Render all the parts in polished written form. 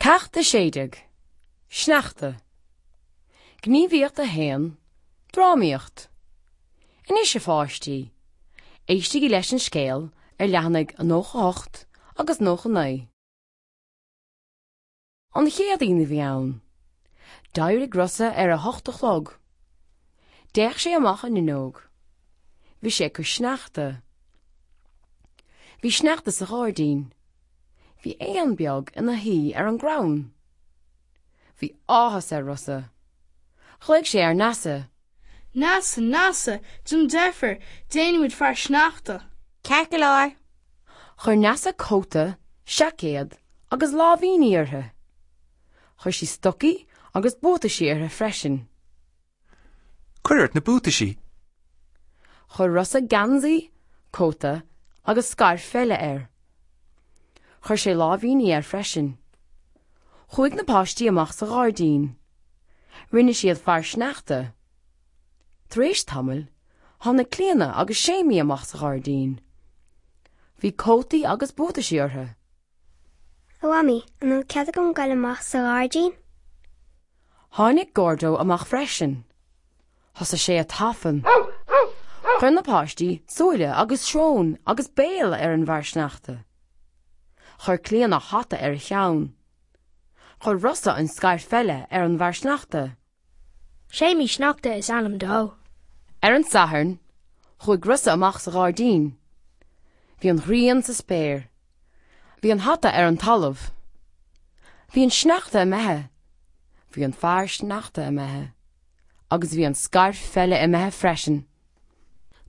Ceacht 16, Sneachta. Gníomhaíocht 1, Drámaíocht. Anois a pháistí, éistigí leis an scéal ar leathanaigh 98 agus 99. An Chéadaoin a bhí ann. D'éirigh Rosa ar a hocht a chlog. D'fhéach sé amach an fhuinneog. Bhí sé ag cur sneachta. Bhí sneachta sa ghairdín. Bhí éan beag ina shuí ar an gcrann. Bhí áthas ar Rosa. Ghlaoigh sé ar Neasa. Neasa, Neasa, déan deifir, déanfaimid fear sneachta! Ceart go leor. Chuir Neasa cóta, seaicéad agus láimhíní uirthi. Chuir sí stocaí agus buataisí uirthi freisin. Cuir ort na buataisí. Chuir Rosa geansaí, cóta agus scairf pheile air. Chuir sé láimhíní air freisin. Chuaigh na páistí amach sa ghairdín. Rinne siad fear sneachta. Tar éis tamaill, tháinig Clíona agus Séimí amach sa ghairdín. Bhí cótaí agus buataisí orthu. A Mhamaí, an bhfuil cead agam goil amach sa ghairdín? Tháinig Gordo amach freisin. Thosaigh sé ag tafann. Chuir na páistí súile agus srón agus béal ar an bhfear sneachta. Chuir Clíona hata ar a cheann. Chuir Rosa an scairf pheile ar an bhfear sneachta. Séimí Sneachta is ainm dó. Ar an Satharn, chuaigh Rosa amach sa ghairdín. Bhí an ghrian sa spéir. Bhí an hata ar an talamh. Bhí an sneachta imithe. Bhí an fear sneachta imithe. Agus bhí an scairf pheile imithe freisin.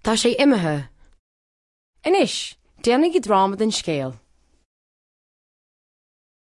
Tá sé imithe. Anois, déanaigí dráma den scéal.